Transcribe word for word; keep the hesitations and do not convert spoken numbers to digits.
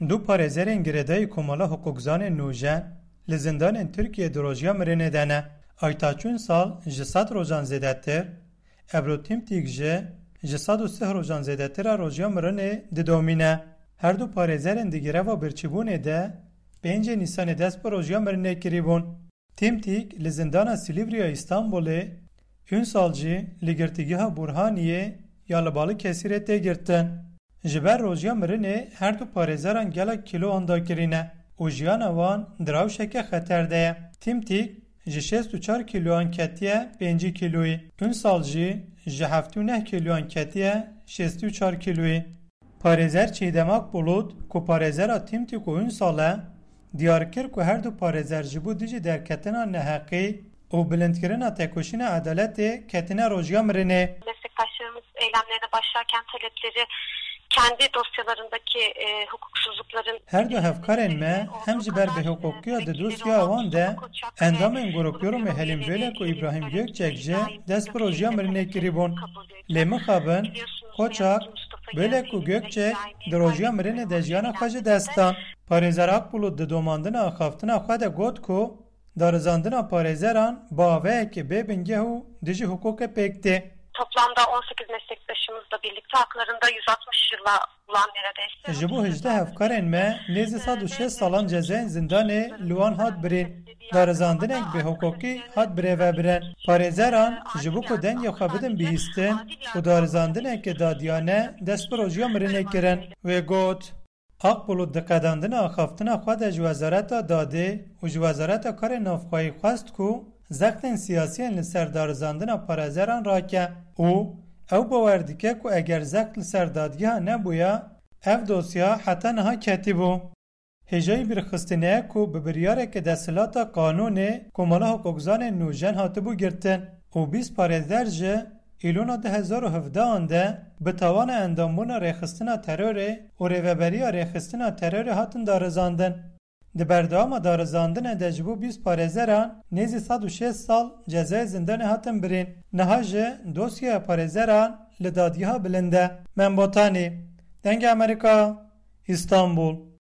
Du parêzerên girêdayî Komala Hiqûqzanên Nûjen li zindanên Tirkiyê di rojiya mirinê de ne. Aytaç Ünsal ji sed rojan zêdetir, Ebru Timtîk jî ji sed û sih rojan zêdetir a rojiya mirinê didomîne. Her du parêzerên di greva birçîbûnê de pêncê Nîsanê dest bi rojiya mirinê kirîbûn. Timtîk li zindana Silîvrî ya Îstanbulê, Ünsal jî li girtîgeha Burhaniyê ya li Balıkesirê tê girtin. Ji ber rojiya mirinê her du parêzeran gelek kîloan dakirîne û jiyana wan di rewşeke xeter de ye. Timtîk ji şêst û çar kîloan ketiye pêncî kîloyî, Ünsal jî ji heftê û neh kîloan ketiye şêst û çar kîloyî. Parêzer Çiğdem Akbulut ku parêzera Timtîk û Ünsal e, diyar kir ku her du parêzer ji bo dijî derketina neheqî û bilindkirina tekoşîna edaletê ketine rojiya mirinê. Meslektaşlarımız eylemlerine başlarken talepleri kendi dosyalarındaki e, hukuksuzlukların Her du hevkarên me hem ji ber bêhiqûqiya di dosyeya wan de endamên Grupyurumê Helîm Bölek û Îbrahîm Gökçek jî dest bi rojiya mirinê kirîbûn. Lê mixabin, Koçak, Bölek û Gökçek di rojiya mirinê de jiyana xwe ji dest dan. Parêzer Akbulut di domandina axaftina xwe de got ku darizandina parêzeran bi avayekî bê bingeh û dijî hiqûqê pêk tê. Toplamda on sekiz meslektaşımızla birlikte haklarında yüz altmış yıla ulan neredeyse. Ji bo hejdeh hevkarên me nêzî sed û şêst salan cezayên zindanê li wan hat birîn. Darizandinek bêhiqûqî hat birêvebirin. Parêzeran ji bo ku dengê xwe bidin bihîstin û darizandineke dadiyane dest bi rojiya mirinê kirin. Wê got, Akbulut di qedandina axaftina xwe de ji Wezareta Dadê û ji Wezareta Karê Navxweyî xwest ku zextên siyasî yên li ser darizandina parêzeran rake û ew bawer dike ku eger zext li ser dadgeha nebûya, ev dosya heta niha ketibû. Hêjayî bîrxistinê ye ku bi biryareke desthilata qanûnê Komala Hiqûqzanên Nûjen hatibû girtin û bîst parêzer ji Îlona du hezar û hevdehan de bi tawana endambûna rêxistina terorê û rêveberiya rêxistina terorê hatin darizandin. Di berdewama darizandinê de ji bo bîst parêzeran nêzî sed û şêst sal cezayê zindanê hatin birîn. Niha jî dosyeya parêzeran li dadgeha bilind e. Mem Botanî, Dengê Amerîka, Îstanbul.